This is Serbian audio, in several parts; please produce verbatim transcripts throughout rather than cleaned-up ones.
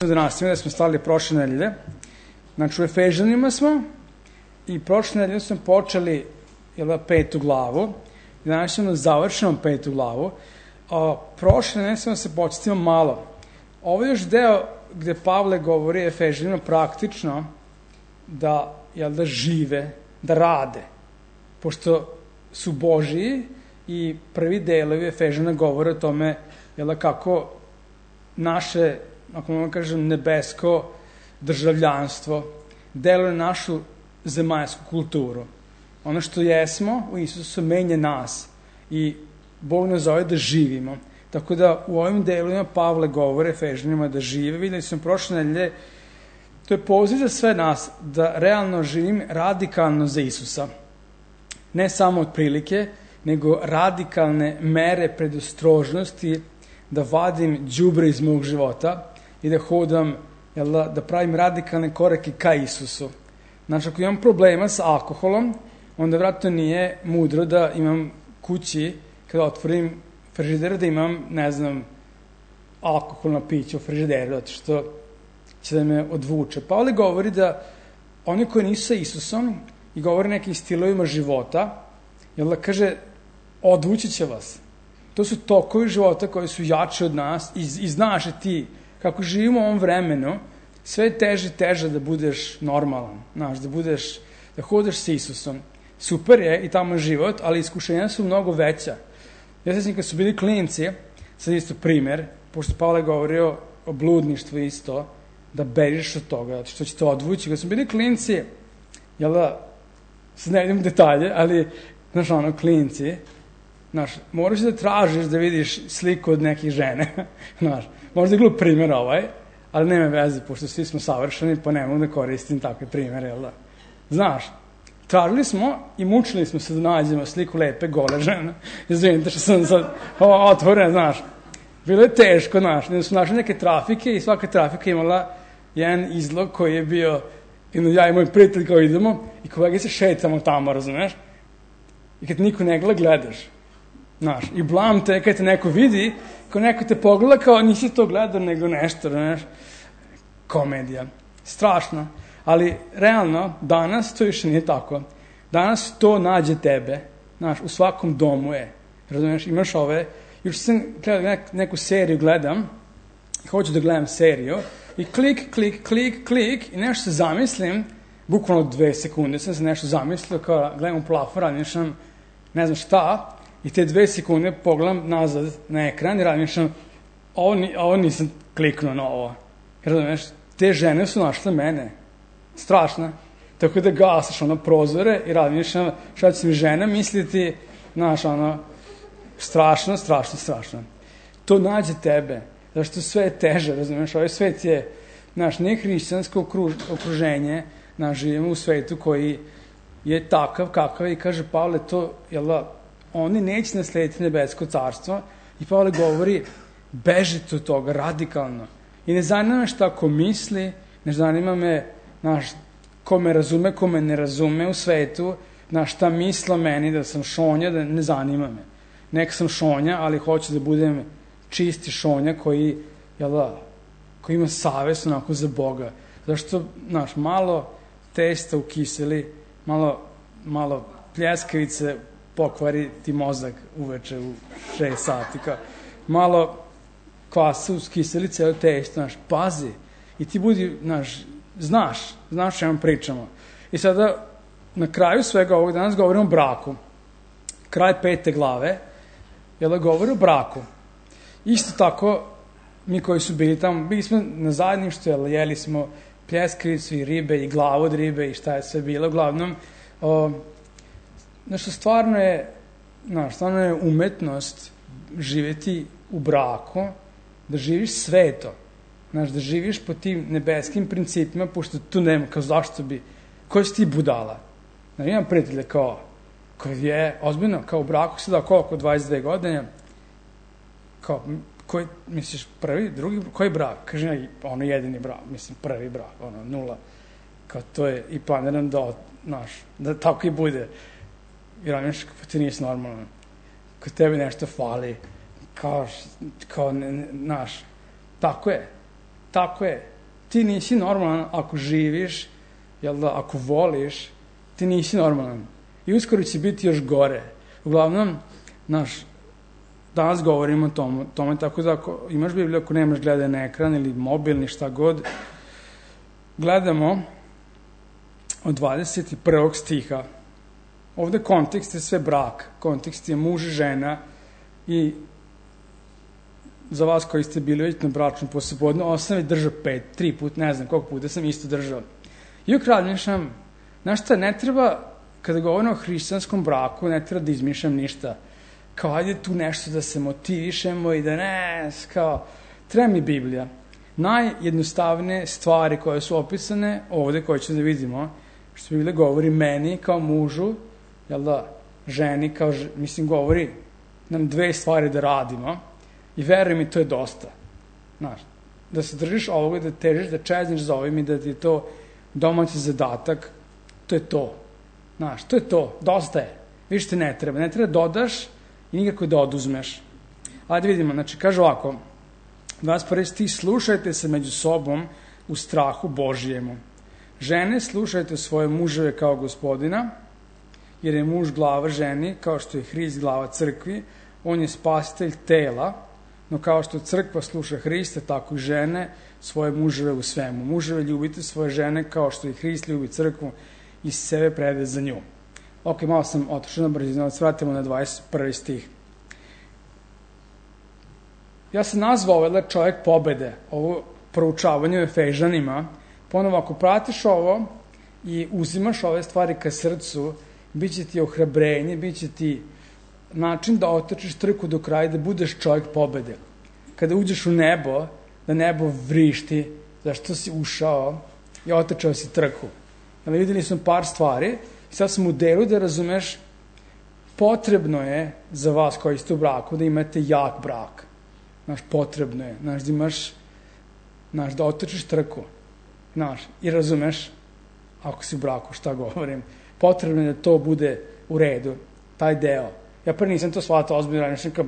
Da nastavimo, da smo stali prošle nedelje. Znači, u Efežanima smo i prošle nedelje smo počeli jel, petu glavu i danas ćemo završimo petu glavu. A, prošle nedelje smo se početimo malo. Ovo je još deo gde Pavle govori Efežanima praktično da, jel, da žive, da rade. Pošto su Božiji i prvi delovi Efežana govore o tome jel, kako naše, ako mogu kažem, nebesko državljanstvo deluje našu zemaljsku kulturu. Ono što jesmo u Isusu menja nas i Bog nas zove da živimo. Tako da u ovim delovima Pavle govore Efežanima da žive. Videli smo prošle nedelje, to je poziv za sve nas da realno živim radikalno za Isusa. Ne samo od prilike, nego radikalne mere predostrožnosti da vadim đubre iz mog života i da hodam, jel, da pravim radikalne korake ka Isusu. Znači, ako imam problema sa alkoholom, onda vratno nije mudro da imam kući, kada otvorim frižider, da imam, ne znam, alkoholno piće u frižideru, zato što će da me odvuče. Pavle govori da oni koji nisu sa Isusom i govori nekim stilovima života, jel da kaže, odvući će vas. To su tokovi života koji su jači od nas i, i znaš ti kako živimo u ovom vremenu, sve je teže i teže da budeš normalan, znaš, da budeš, da hodeš sa Isusom. Super je i tamo život, ali iskušenja su mnogo veća. Ja se sjećam kad su bili klinci, sad isto primer, pošto Pavle govorio o bludništvu isto, da bežiš od toga, što će te odvući. Kad su bili klinci, jel da, sad ne idem u detalje, ali, znaš, ono, klinci, znaš, moraš da tražiš da vidiš sliku od nekih žene, znaš, možda je glup primjer ovaj, ali nema veze, pošto svi smo savršeni, pa ne mogu da koristim takve primjere, jel da? Znaš, tražili smo i mučili smo se da nađemo sliku lepe, gole žene, izvinite što sam sad otvoren, znaš, bilo je teško, znaš, da smo našli neke trafike i svaka trafika imala jedan izlog koji je bio, ja i moj prijatelj kao idemo i kolega se šetamo tamo, razumeš? I kad niko ne gleda, gledaš. Znaš, i blam te kad te neko vidi, ko neko te pogleda kao nisi to gledao, nego nešto, znaš, komedija. Strašno. Ali, realno, danas to više nije tako. Danas to nađe tebe, znaš, u svakom domu je. Razumiješ, imaš ove, još sam gledao neku seriju, gledam, hoću da gledam seriju, i klik, klik, klik, klik, i nešto se zamislim, bukvalno dve sekunde sam se nešto zamislio, kao gledam u plafon, radim sam, ne znam šta, i te dve sekunde pogledam nazad na ekran i radim što ovo, ovo nisam kliknuo na ovo. Razumiješ, te žene su našle mene. Strašno. Tako da gasaš ono prozore i radim što šta će mi žena misliti, znaš, ono, strašno, strašno, strašno. To nađe tebe. Zašto sve je teže, razumiješ, ovaj svet je, znaš, ne hrišćansko okruž, okruženje, znaš, živimo u svetu koji je takav, kakav i kaže Pavle, to, jel da, oni neće naslediti nebesko carstvo i Pavle govori bežite od toga radikalno i ne zanima me šta ko misli, ne zanima me znaš, ko me razume, ko me ne razume u svetu, znaš, šta misla meni da sam šonja, da ne zanima me. Nek sam šonja, ali hoću da budem čisti šonja koji, jel da, koji ima savest onako za Boga. Zašto, znaš, malo testa ukiseli, malo, malo pljeskavice pokvari ti mozak uveče u šest sati. Kao, malo kvasa uskiseli cijelo testo, znaš, pazi. I ti budi, znaš, znaš, znaš što vam pričamo. I sada, na kraju svega ovog danas govorimo o braku. Kraj pete glave, jel da govori o braku. Isto tako, mi koji su bili tamo, bili smo na zajedništvu, jel, jeli smo pljeskavicu i ribe i glavu od ribe i šta je sve bilo. Uglavnom, o, Znaš, stvarno je, znaš, stvarno je umetnost živjeti u braku, da živiš sveto, znaš, da živiš po tim nebeskim principima, pošto tu nema, kao zašto bi, koji si ti budala? Znaš, imam prijatelje kao, koji je, ozbiljno, kao u braku sada koliko, dvadeset dve godine, kao, koji, misliš, prvi, drugi, koji brak? Kaže, ono jedini brak, mislim, prvi brak, ono, nula, kao to je, i planiram da, znaš, da tako i bude. I radiš kako ti nisi normalno. Kad tebi nešto fali, kao, kao, ne, ne, naš, tako je. tako je. Ti nisi normalan ako živiš, jel da, ako voliš, ti nisi normalan. I uskoro će biti još gore. Uglavnom, naš, danas govorimo o tome, tome, tako da ako imaš Bibliju, ako nemaš gledaj na ekran ili mobilni, šta god, gledamo od dvadeset prvog stiha. Ovde kontekst je sve brak, kontekst je muž i žena i za vas koji ste bili već na bračnom poslepodne, ovo sam već držao pet, tri put, ne znam koliko puta sam isto držao. I ukradnješam, znaš šta, ne treba, kada govorim o hrišćanskom braku, ne treba da izmišljam ništa. Kao, ajde tu nešto da se motivišemo i da ne, kao, treba mi Biblija. Najjednostavnije stvari koje su opisane ovde, koje ćemo da vidimo, što Biblija govori meni kao mužu, jel da, ženi kao, mislim, govori nam dve stvari da radimo i veruj mi, to je dosta. Znaš, da se držiš ovoga, da težiš, da čezniš za ovim i da ti je to domaći zadatak, to je to. Znaš, to je to, dosta je. Više te ne treba, ne treba dodaš i nikako da oduzmeš. Ajde vidimo, znači, kaže ovako, dvadeset prvi stih, slušajte se među sobom u strahu Božijemu. Žene, slušajte svoje muževe kao gospodina, jer je muž glava ženi, kao što je Hrist glava crkvi, on je spasitelj tela, no kao što crkva sluša Hrista, tako i žene svoje muževe u svemu. Muževe, ljubite svoje žene kao što i Hrist ljubi crkvu i sebe prede za nju. Ok, malo sam otišao na brzinu, ali svratimo na dvadeset prvi stih. Ja sam nazvao ovaj čovjek pobede, ovo proučavanje u Efežanima. Ponovo, ako pratiš ovo i uzimaš ove stvari ka srcu, bit će ti ohrabrenje, bit će ti način da otrčiš trku do kraja, da budeš čovjek pobede. Kada uđeš u nebo, da nebo vrišti, zašto si ušao i otrčao si trku. Ali videli smo par stvari i sad sam u delu da razumeš, potrebno je za vas koji ste u braku da imate jak brak. Znaš, potrebno je. Znaš, da imaš, znaš, da otrčiš trku. Znaš, i razumeš, ako si u braku, šta govorim, potrebno je da to bude u redu, taj deo. Ja prvi nisam to shvatao ozbiljno, razmišljam kao,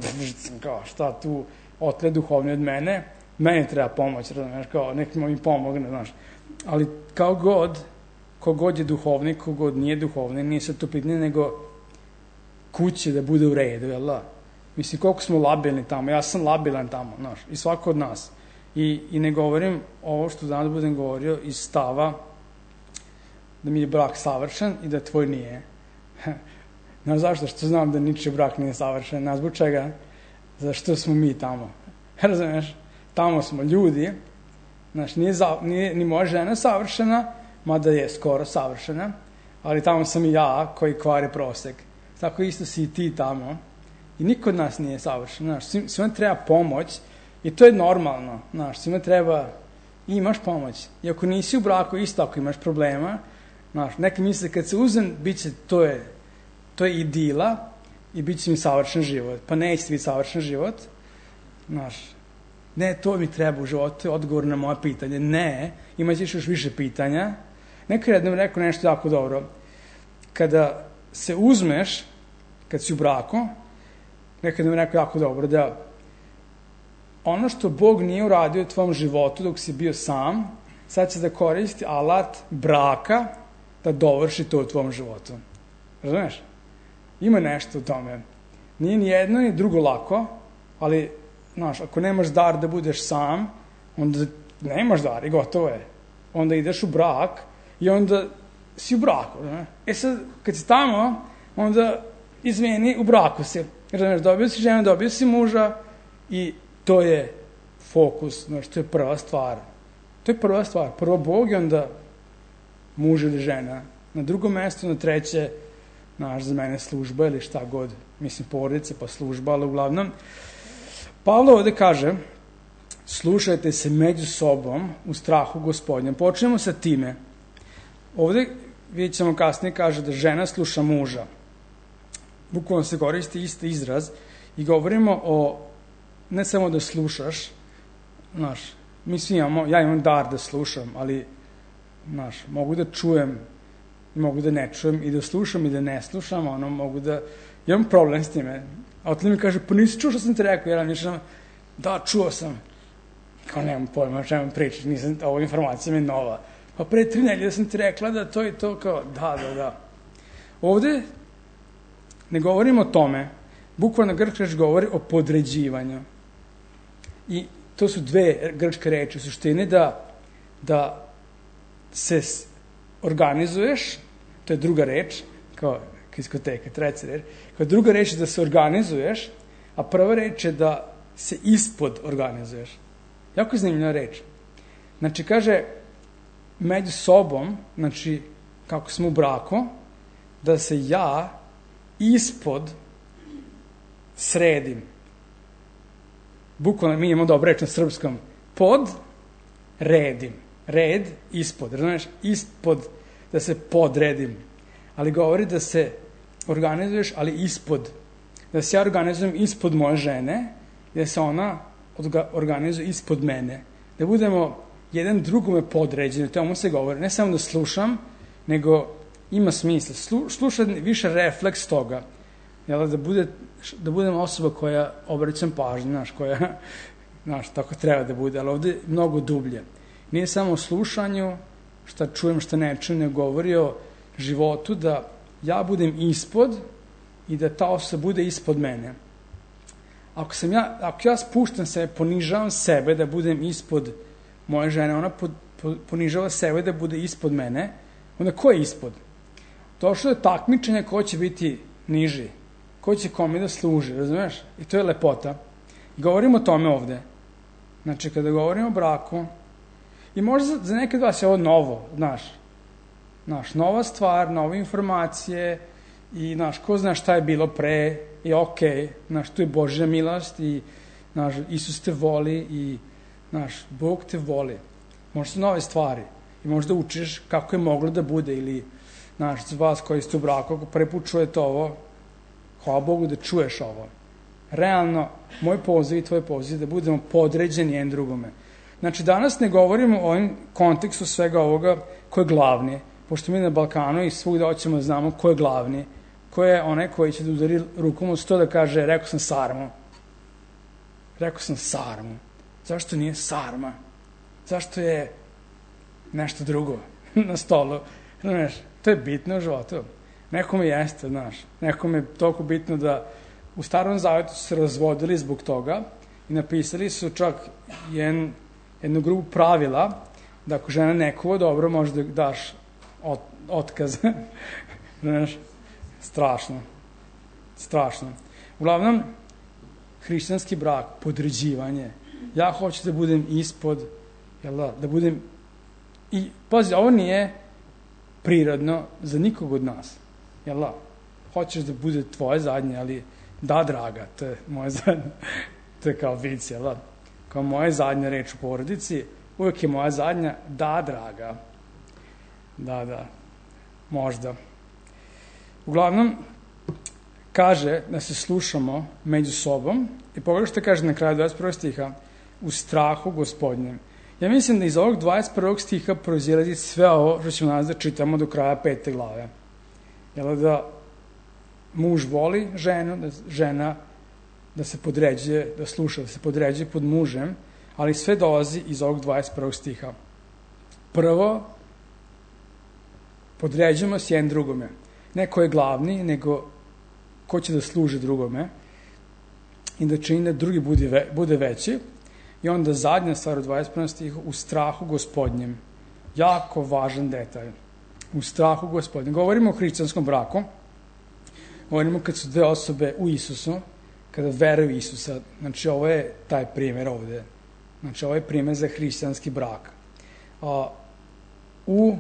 kao, šta tu otle duhovni od mene, meni treba pomoć, razumeš, kao, nekim mi pomogne, znaš. Ali kao god, kogod je duhovnik, kogod nije duhovnik, nije sad to pitanje, nego kuće da bude u redu, jel da? Mislim, koliko smo labilni tamo, ja sam labilan tamo, znaš, i svako od nas. I, i ne govorim ovo što danas budem govorio iz stava da mi je brak savršen i da tvoj nije. Znaš zašto? Što znam da ničiji brak nije savršen. Znaš zbog čega? Zašto smo mi tamo. Razumeš? Tamo smo ljudi. Znaš, nije, za, nije ni moja žena savršena, mada je skoro savršena, ali tamo sam i ja koji kvari prosek. Tako isto si i ti tamo. I niko od nas nije savršen. Znaš, svima treba pomoć i to je normalno. Znaš, svima treba i imaš pomoć. I ako nisi u braku, isto ako imaš problema, znaš, neki misle kad se uzem, bit će, to je, to je idila i bit će mi savršen život. Pa neće biti savršen život. Znaš, ne, to mi treba u životu, je odgovor na moje pitanje. Ne, imaćeš još više pitanja. Neko je jednom rekao nešto jako dobro. Kada se uzmeš, kad si u braku, nekad mi rekao jako dobro, da ono što Bog nije uradio u tvom životu dok si bio sam, sad će da koristi alat braka da dovrši to u tvom životu. Razumeš? Ima nešto u tome. Nije ni jedno ni drugo lako, ali, znaš, ako nemaš dar da budeš sam, onda nemaš dar i gotovo je. Onda ideš u brak i onda si u braku. Ne? E sad, kad si tamo, onda izmeni, u braku si. Razumeš, dobio si ženu, dobio si muža i to je fokus, znaš, to je prva stvar. To je prva stvar. Prvo Bog i onda muž ili žena. Na drugom mjestu, na treće, znaš, za mene služba ili šta god. Mislim, porodice pa služba, ali uglavnom. Pavlo ovde kaže, slušajte se među sobom u strahu Gospodnjem. Počnemo sa time. Ovde, vidjet ćemo kasnije, kaže da žena sluša muža. Bukvalno se koristi isti izraz i govorimo o, ne samo da slušaš, znaš, mi svi imamo, ja imam dar da slušam, ali, znaš, mogu da čujem, mogu da ne čujem i da slušam i da ne slušam, ono, mogu da, imam problem s time. A otle mi kaže, pa nisi čuo što sam ti rekao, ja mišljam, da, čuo sam. kao nemam pojma o čemu pričaš, nisam, ova informacija mi je nova. Pa pre tri nedelje sam ti rekla da to i to, kao da, da, da. Ovde ne govorimo o tome, bukvalno grčka reč govori o podređivanju. I to su dve grčke reči u suštini, da, da se organizuješ, to je druga reč, kao diskoteka, treća reč, kao druga reč je da se organizuješ, a prva reč je da se ispod organizuješ. Jako je zanimljiva reč. Znači, kaže, među sobom, znači, kako smo u braku, da se ja ispod sredim. Bukvalno mi imamo dobro reč na srpskom. Pod, redim. Red, ispod. Znaš, ispod, da se podredim. Ali govori da se organizuješ, ali ispod. Da se ja organizujem ispod moje žene, da se ona organizuje ispod mene. Da budemo jedan drugome podređeni. To mu se govori. Ne samo da slušam, nego ima smisla. Slu, sluša više refleks toga. Jel, da, bude, da budem osoba koja obraćam pažnju, znaš, koja, znaš, tako treba da bude, ali ovde mnogo dublje. Nije samo o slušanju, šta čujem, šta ne čujem, ne govori o životu, da ja budem ispod i da ta osoba bude ispod mene. Ako, sam ja, ako ja spuštam sebe, ponižavam sebe da budem ispod moje žene, ona pod, po, ponižava sebe da bude ispod mene, onda ko je ispod? Došlo je takmičenje ko će biti niži, ko će kome da služi, razumeš? I to je lepota. I govorimo o tome ovde. Znači, kada govorimo o braku, i možda za, za nekad vas je ovo novo, znaš, znaš, nova stvar, nove informacije, i, znaš, ko zna šta je bilo pre, i okej, okay, znaš, tu je Božja milost, i, znaš, Isus te voli, i, znaš, Bog te voli. Možda su nove stvari, i možda učiš kako je moglo da bude, ili, znaš, za vas koji ste u braku, ako prvi put čujete ovo, hvala Bogu da čuješ ovo. Realno, moj poziv i tvoj poziv da budemo podređeni jedan drugome. Znači, danas ne govorimo o ovom kontekstu svega ovoga ko je glavni, pošto mi na Balkanu i svugde hoćemo da znamo ko je glavni, ko je onaj koji će da udari rukom od sto da kaže, rekao sam sarmu. Rekao sam sarmu. Zašto nije sarma? Zašto je nešto drugo na stolu? Znaš, to je bitno u životu. Nekome jeste, znaš. Nekome je toliko bitno da u Starom Zavetu su se razvodili zbog toga i napisali su čak jedan, jednu grupu pravila da ako žena ne kuva dobro, možda daš ot, otkaz. Znaš, strašno. Strašno. Uglavnom, hrišćanski brak, podređivanje. Ja hoću da budem ispod, jel da, da budem i, pazi, ovo nije prirodno za nikog od nas. Jel da? Hoćeš da bude tvoje zadnje, ali da, draga, to je moje zadnje. To je kao vic, jel da? Kao moja zadnja reč u porodici, uvijek je moja zadnja, da, draga. Da, da, možda. Uglavnom, kaže da se slušamo među sobom i pogledaj što kaže na kraju dvadeset prvog stiha, u strahu Gospodnjem. Ja mislim da iz ovog dvadeset prvog stiha proizilazi sve ovo što ćemo nas da čitamo do kraja pete glave. Jel da muž voli ženu, da žena da se podređuje, da sluša, da se podređuje pod mužem, ali sve dolazi iz ovog dvadeset prvog stiha. Prvo, podređujemo se jedan drugome. Ne ko je glavni, nego ko će da služi drugome i da čini da drugi bude, ve, bude veći. I onda zadnja stvar u dvadeset prvom stihu, u strahu Gospodnjem. Jako važan detalj. U strahu Gospodnjem. Govorimo o hrišćanskom braku. Govorimo kad su dve osobe u Isusu, kada veruju Isusa. Znači, ovo je taj primjer ovde. Znači, ovo je primjer za hrišćanski brak. A, u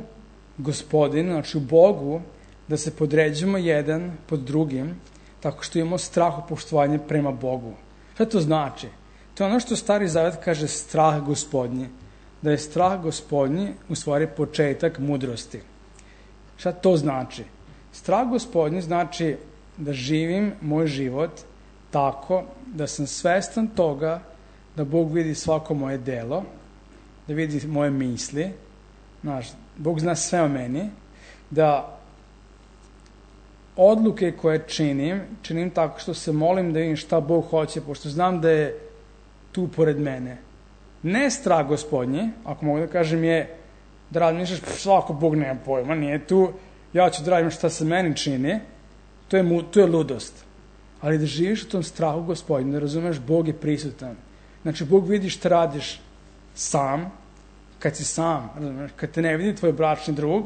Gospodinu, znači u Bogu, da se podređujemo jedan pod drugim, tako što imamo strahopoštovanje prema Bogu. Šta to znači? To je ono što Stari Zavet kaže strah Gospodnji. Da je strah Gospodnji u stvari početak mudrosti. Šta to znači? Strah Gospodnji znači da živim moj život tako da sam svestan toga da Bog vidi svako moje delo, da vidi moje misli, znaš, Bog zna sve o meni, da odluke koje činim, činim tako što se molim da vidim šta Bog hoće, pošto znam da je tu pored mene. Ne strah gospodnji, ako mogu da kažem, je da razmišljaš, svako Bog nema pojma, nije tu, ja ću da radim šta se meni čini, to je, mu, to je ludost. Ali da živiš u tom strahu gospodnju, da razumeš, Bog je prisutan. Znači, Bog vidi šta radiš sam, kad si sam, razumeš, kad te ne vidi tvoj bračni drug,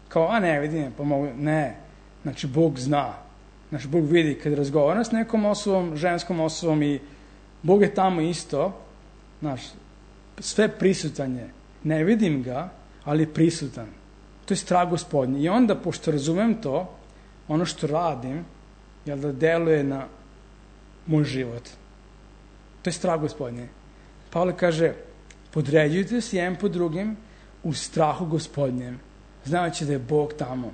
kao, a ne vidi, pa mogu, ne. Znači, Bog zna. Znači, Bog vidi kad razgovara s nekom osobom, ženskom osobom i Bog je tamo isto, znaš, sve prisutan je. Ne vidim ga, ali je prisutan. To je strah gospodnji. I onda, pošto razumem to, ono što radim, jel da deluje na moj život. To je strah gospodnji. Pavle kaže, podređujte se jedan po drugim u strahu gospodnjem, znajući da je Bog tamo.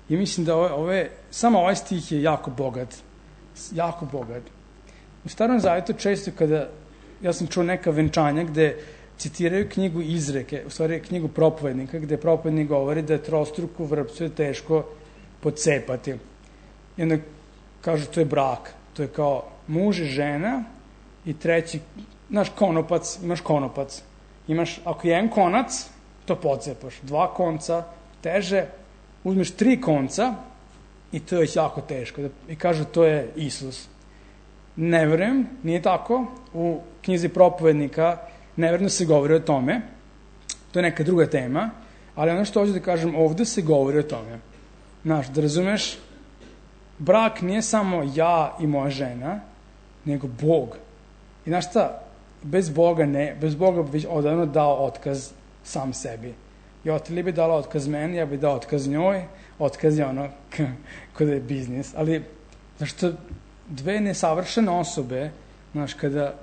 I mislim da ove, ove, samo ovaj stih je jako bogat. Jako bogat. U Starom Zavjetu često kada, ja sam čuo neka venčanja gde citiraju knjigu Izreke, u stvari knjigu propovednika, gde propovednik govori da je trostruku vrpcu je teško pocepati. I onda kažu to je brak. To je kao muž i žena i treći, znaš, konopac, imaš konopac. Imaš, ako je jedan konac, to pocepaš. Dva konca, teže, uzmeš tri konca i to je već jako teško. I kažu to je Isus. Ne verujem, nije tako. U knjizi propovednika neverno se govori o tome. To je neka druga tema. Ali ono što hoću da kažem, ovde se govori o tome. Znaš, da razumeš, brak nije samo ja i moja žena, nego Bog. I znaš šta, bez Boga ne, bez Boga bi odavno dao otkaz sam sebi. I Otili bi dala otkaz meni, ja bi dao otkaz njoj, otkaz je ono kada je biznis. Ali, znaš šta, dve nesavršene osobe, znaš, kada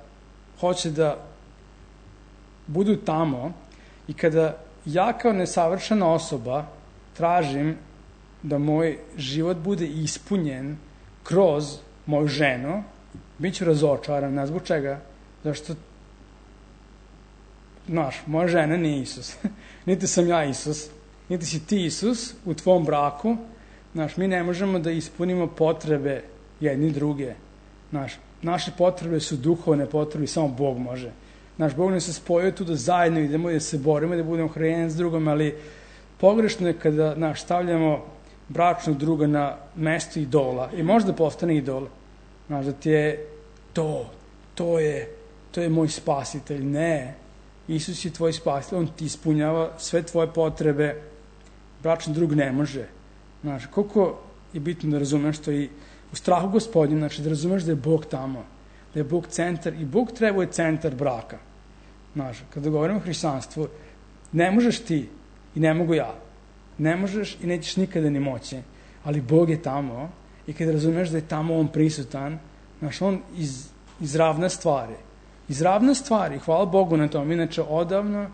hoće da budu tamo i kada ja kao nesavršena osoba tražim da moj život bude ispunjen kroz moju ženu, bit ću razočaran, ne zbog čega, zašto, znaš, moja žena nije Isus, niti sam ja Isus, niti si ti Isus u tvom braku, znaš, mi ne možemo da ispunimo potrebe jedni druge, znaš, naše potrebe su duhovne potrebe, samo Bog može. Naš Bog nas se spojio tu da zajedno idemo, da se borimo, da budemo hranjeni s drugom, ali pogrešno je kada, znaš, stavljamo bračnog druga na mesto idola i možda postane idol. Znaš, da ti je to, to je, to je moj spasitelj. Ne, Isus je tvoj spasitelj, on ti ispunjava sve tvoje potrebe, bračni drug ne može. Znaš, koliko je bitno da razumeš to i u strahu gospodnjem, znači da razumeš da je Bog tamo, da je Bog centar i Bog trebuje centar braka. Znaš, kada govorimo o hrišćanstvu, ne možeš ti i ne mogu ja. Ne možeš i nećeš nikada ni moći, ali Bog je tamo i kada razumeš da je tamo on prisutan, znaš, on iz, izravna stvari. Izravna stvari, hvala Bogu na tom, inače odavno,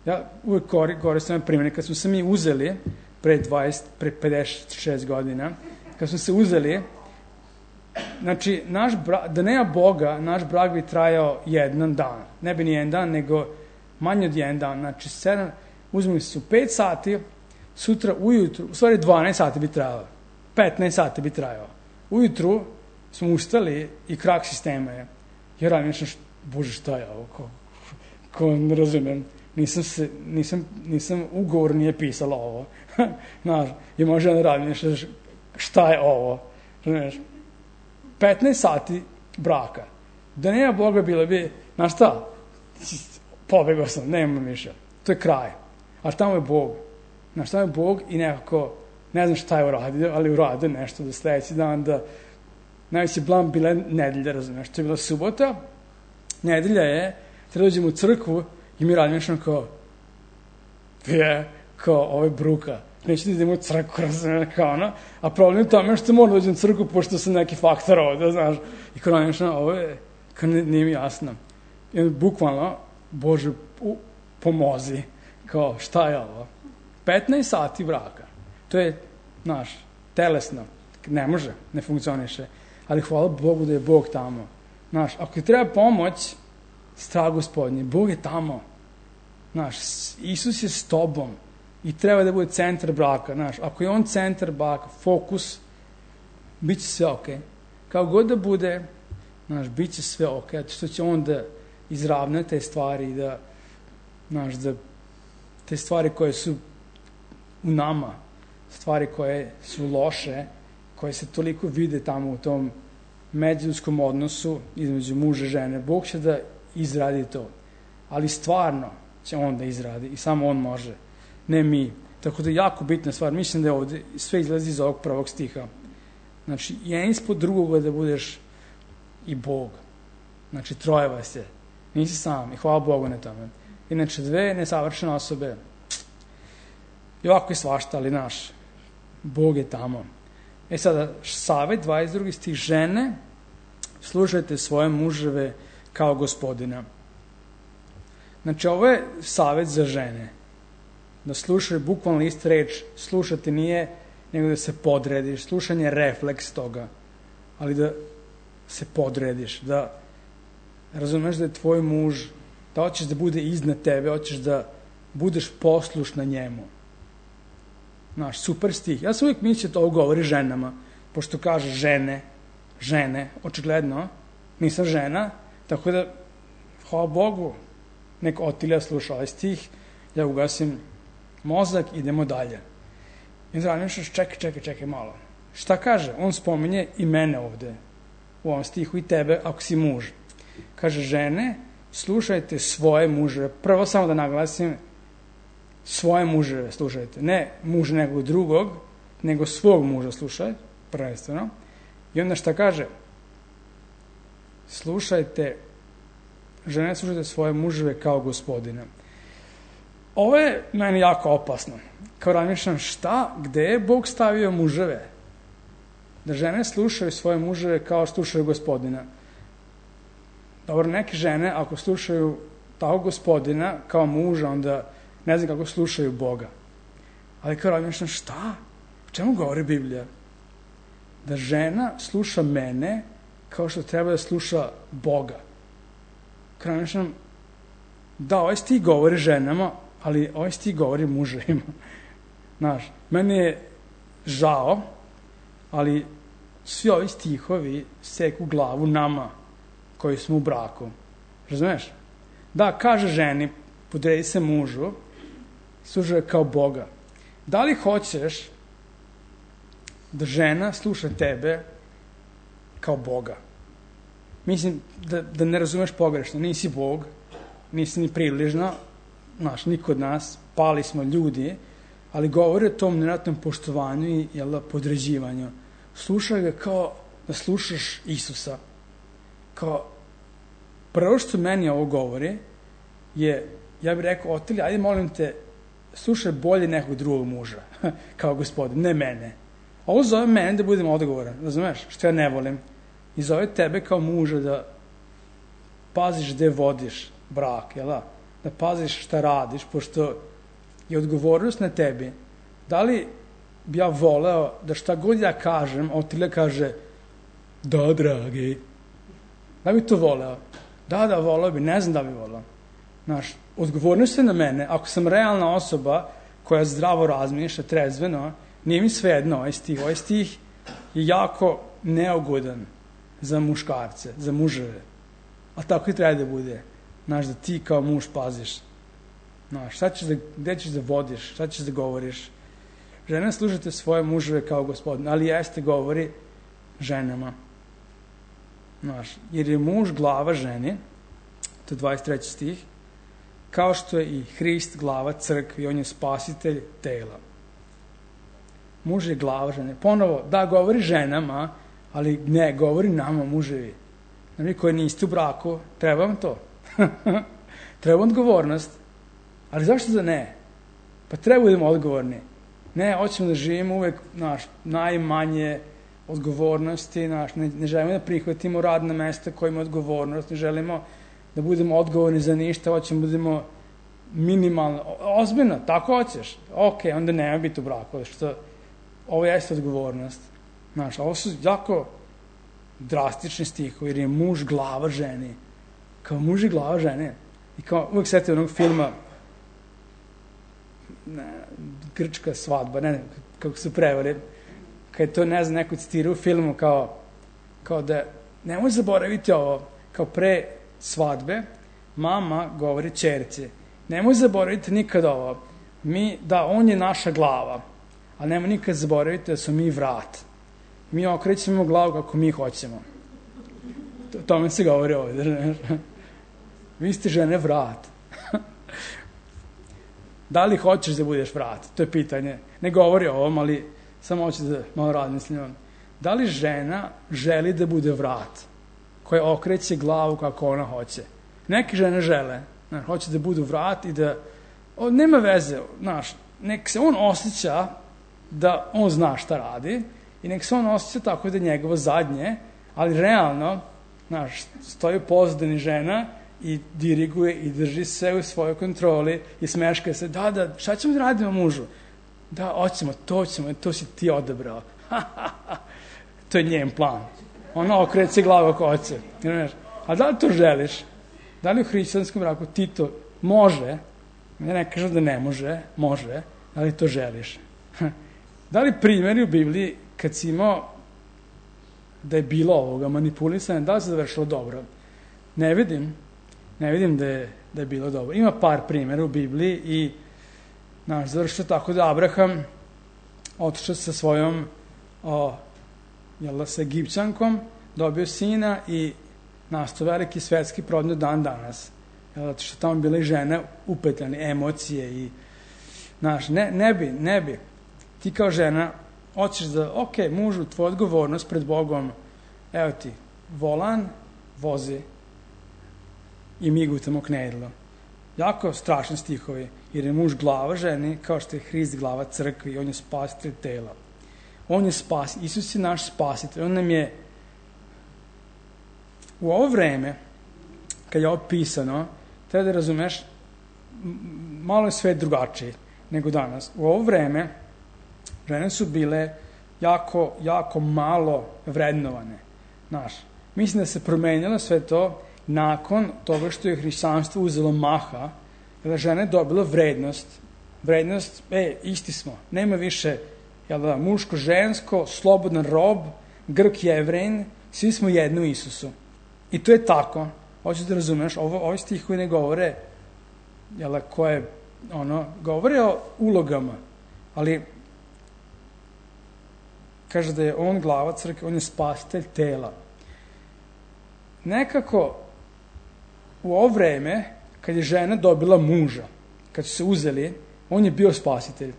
ja uvek koristim primjer, kad smo se mi uzeli pre dvadeset, pre pedeset šest godina, kad smo se uzeli, znači, naš brak, da nema Boga, naš brak bi trajao jedan dan. Ne bi ni jedan dan, nego manje od jedan dan. Znači, sedam, uzmemo se u pet sati, sutra ujutru, u stvari dvanaest sati bi trajalo. petnaest sati bi trajao. Ujutru smo ustali i krak sistema je. Ja radim nešto, bože, šta je ovo? Ko, ko ne razumem. Nisam, se, nisam, nisam ugovor nije pisala ovo. Znaš, i može da radim nešto, šta je ovo? Znaš, petnaest sati braka. Da nema Boga bilo bi, znaš šta? Pobegao sam, nema više. To je kraj. A tamo je Bog. Znaš, tamo je Bog i nekako, ne znam šta je uradio, ali uradio nešto do sledeći dan da najveći blam bila nedelja, razumiješ. To je bila subota, nedelja je, treba dođemo u crkvu i mi radimo nešto kao, je, kao ovo je bruka. Neću da idemo u crkvu, razumiješ, kao ono. A problem je tome što moram da dođem u crkvu pošto sam neki faktor ovde, znaš. I kao radimo nešto, ovo je, kao nije mi jasno. I onda bukvalno, Bože, u, pomozi. Kao, šta je ovo? petnaest sati braka. To je, znaš, telesno. Ne može, ne funkcioniše. Ali hvala Bogu da je Bog tamo. Znaš, ako ti treba pomoć, strah gospodnji, Bog je tamo. Znaš, Isus je s tobom i treba da bude centar braka. Znaš, ako je on centar braka, fokus, bit će sve okej. Okay. Kao god da bude, znaš, bit će sve okej, okay, što će on da izravna te stvari i da, znaš, da te stvari koje su u nama, stvari koje su loše, koje se toliko vide tamo u tom međuljudskog odnosu između muža i žene, Bog će da izradi to. Ali stvarno će on da izradi i samo on može, ne mi. Tako da je jako bitna stvar. Mislim da je ovde sve izlazi iz ovog prvog stiha. Znači, jedan ispod drugoga da budeš i Bog. Znači, troje vas je. Nisi sam i hvala Bogu na tome. Inače, dve nesavršene osobe, i ovako je svašta, ali naš, Bog je tamo. E sada, Savet, dvadeset drugi stih, žene, slušajte svoje muževe kao gospodina. Znači, ovo je savet za žene. Da slušaju, bukvalno isti reč, slušati nije nego da se podrediš. Slušanje je refleks toga, ali da se podrediš, da razumeš da je tvoj muž, da hoćeš da bude iznad tebe, hoćeš da budeš poslušna njemu. Znaš, super stih. Ja sam uvijek mislio to govori ženama, pošto kaže žene, žene, očigledno, nisam žena, tako da, hvala Bogu, nek Otilija sluša ovaj stih, ja ugasim mozak, idemo dalje. I onda razmišljaš, čekaj, čekaj, čekaj malo. Šta kaže? On spominje i mene ovde, u ovom stihu, i tebe, ako si muž. Kaže, žene, slušajte svoje muževe. Prvo samo da naglasim, svoje muževe slušajte. Ne muž nekog drugog, nego svog muža slušaj, prvenstveno. I onda šta kaže? Slušajte, žene, slušajte svoje muževe kao gospodina. Ovo je meni jako opasno. Kao razmišljam, šta, gde je Bog stavio muževe? Da žene slušaju svoje muževe kao slušaju gospodina. Dobro, neke žene, ako slušaju tako gospodina kao muža, onda ne znam kako slušaju Boga. Ali kao razmišljam, šta? O čemu govori Biblija? Da žena sluša mene kao što treba da sluša Boga. Kao razmišljam, da, ovaj stih govori ženama, ali ovaj stih govori muževima. Znaš, meni je žao, ali svi ovi stihovi seku glavu nama koji smo u braku. Razumeš? Da, kaže ženi, podredi se mužu, sluša kao Boga. Da li hoćeš da žena sluša tebe kao Boga? Mislim da, da ne razumeš pogrešno. Nisi Bog, nisi ni približno, znaš, niko od nas, pali smo ljudi, ali govori o tom nevjerojatnom poštovanju i jel, podređivanju. Slušaj ga kao da slušaš Isusa. Kao, prvo što meni ovo govori je, ja bih rekao, Otilija, ajde molim te, slušaj bolje nekog drugog muža, kao gospodin, ne mene. Ovo zove mene da budem odgovoran, razumeš, što ja ne volim. I zove tebe kao muža da paziš gde vodiš brak, jel da? Da paziš šta radiš, pošto je odgovornost na tebi. Da li bi ja voleo da šta god ja kažem, Otilija kaže, da, dragi, da bi to voleo? Da, da, voleo bi, ne znam da bi voleo. Znaš, odgovornost je na mene, ako sam realna osoba koja zdravo razmišlja, trezveno, nije mi svejedno ovaj stih. Ovaj stih je jako neugodan za muškarce, za muževe. A tako i treba da bude. Znaš, da ti kao muž paziš. Znaš, šta ćeš da, gde ćeš da vodiš, šta ćeš da govoriš. Žene, slušajte svoje muževe kao gospodin, ali jeste govori ženama. Znaš, jer je muž glava ženi, to je dvadeset treći stih, kao što je i Hrist glava crkvi, on je spasitelj tela. Muž je glava žene. Ponovo, da, govori ženama, ali ne, govori nama, muževi. Vi koji niste u braku, treba vam to. Treba odgovornost. Ali zašto da ne? Pa treba budemo odgovorni. Ne, hoćemo da živimo uvek naš, najmanje odgovornosti, naš, ne, ne želimo da prihvatimo radna mesta koja ima odgovornost, ne želimo da budemo odgovorni za ništa, hoćemo da budemo minimalno, ozbiljno, tako hoćeš, ok, onda nema biti u braku, što ovo jeste odgovornost. Znaš, ovo su jako drastični stihovi, jer je muž glava ženi, kao muž je glava žene, i kao uvek setite onog filma ne, Grčka svadba, ne, ne, kako su prevore, kad je to, ne znam, neko citira u filmu kao, kao da, nemoj zaboraviti ovo, kao pre svadbe, mama govori ćerci, nemoj zaboraviti nikad ovo, mi, da, on je naša glava, ali nemoj nikad zaboraviti da smo mi vrat. Mi okrećemo glavu kako mi hoćemo. O tome se govori ovdje. Vi ste žene vrat. Da li hoćeš da budeš vrat? To je pitanje. Ne govori o ovom, ali samo hoću da malo razmislim. Da li žena želi da bude vrat koja okreće glavu kako ona hoće? Neke žene žele. Znaš, hoće da budu vrat i da... O, nema veze. Znaš, nek se on osjeća da on zna šta radi i nek se on osjeća tako da je njegovo zadnje, ali realno, znaš, stoji pozadini žena i diriguje i drži sve u svojoj kontroli i smeška se, da, da, šta ćemo da radimo mužu? Da, hoćemo, to ćemo, to si ti odabrao. To je njen plan. Ona okreće glavu ako hoće. A da li to želiš? Da li u hrišćanskom braku ti to može? Ja ne kažem da ne može, može, da li to želiš? Da li primjeri u Bibliji kad si imao da je bilo ovoga manipulisanja, da li se završilo dobro? Ne vidim. Ne vidim da je, da je bilo dobro. Ima par primjera u Bibliji i naš završio tako da Abraham otišao sa svojom o, jel, sa Egipćankom, dobio sina i nastao veliki svetski problem dan danas. Jel, zato što tamo bile i žene upetljane, emocije i naš, ne, ne bi, ne bi. Ti kao žena hoćeš da, ok, mužu, tvoja odgovornost pred Bogom, evo ti, volan, vozi i mi gutamo knedlo. Jako strašni stihovi, jer je muž glava ženi, kao što je Hrist glava crkvi i on je spasitelj tela. On je spas, Isus je naš spasitelj, on nam je u ovo vreme, kad je ovo pisano, treba da razumeš, malo je sve drugačije nego danas. U ovo vreme žene su bile jako, jako malo vrednovane. Znaš, mislim da se promenilo sve to nakon toga što je hrišćanstvo uzelo maha, kada žena je dobila vrednost. Vrednost, e, isti smo, nema više jel da, muško, žensko, slobodan rob, Grk, Jevrejin, svi smo jedno u Isusu. I to je tako. Hoćeš da razumeš, ovo, ovi stihovi ne govore, jel da, koje, ono, govore o ulogama, ali kaže da je on glava crkve, on je spasitelj tela. Nekako u ovo vreme, kad je žena dobila muža, kad su se uzeli, on je bio spasitelj.